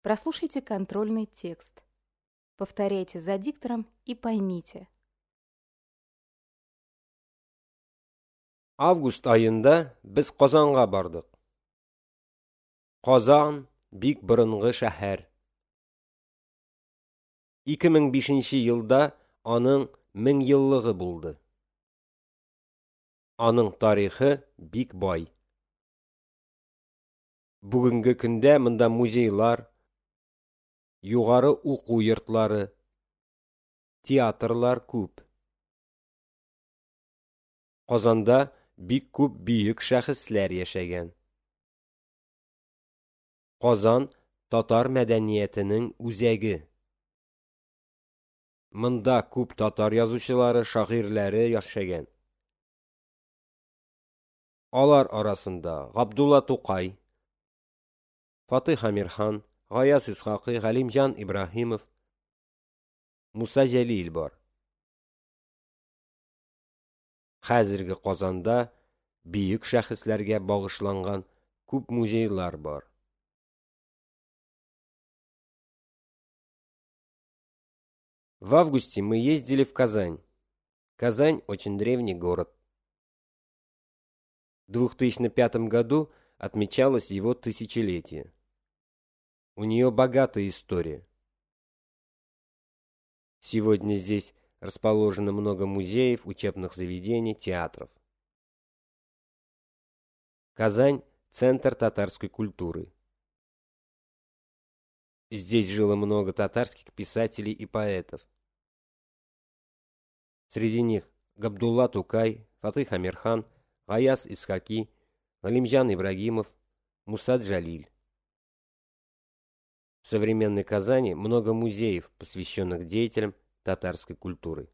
Прослушайте контрольный текст. Повторяйте за диктором и поймите. Август аенда без Казанга бардык. Казан бик борынгы шәһәр. 2005 елда аның 1000 еллыгы булды. Аның тарихы бик бай. Бүгенге көндә монда музейлар, югары уку йортлары, театрлар күп. Казанда бик күп бөек шәхесләр яшәгән. Казан татар мәдәниятенең үзәге. Монда күп татар язучылары, шагыйрьләре яшәгән. Алар арасында Габдулла Тукай, Фатих Әмирхан, Гаяз Исхакый, Галимҗан Ибраһимов, Муса Җәлил бар. Хәзерге Казанда бөек шәхесләргә багышланган күп музейлар бар. В августе мы ездили в Казань. Казань очень древний город. В 2005 году отмечалось его тысячелетие. У нее богатая история. Сегодня здесь расположено много музеев, учебных заведений, театров. Казань – центр татарской культуры. Здесь жило много татарских писателей и поэтов. Среди них Габдулла Тукай, Фатых Амирхан, Гаяз Исхаки, Галимҗан Ибрагимов, Муса Джалиль. В современной Казани много музеев, посвященных деятелям татарской культуры.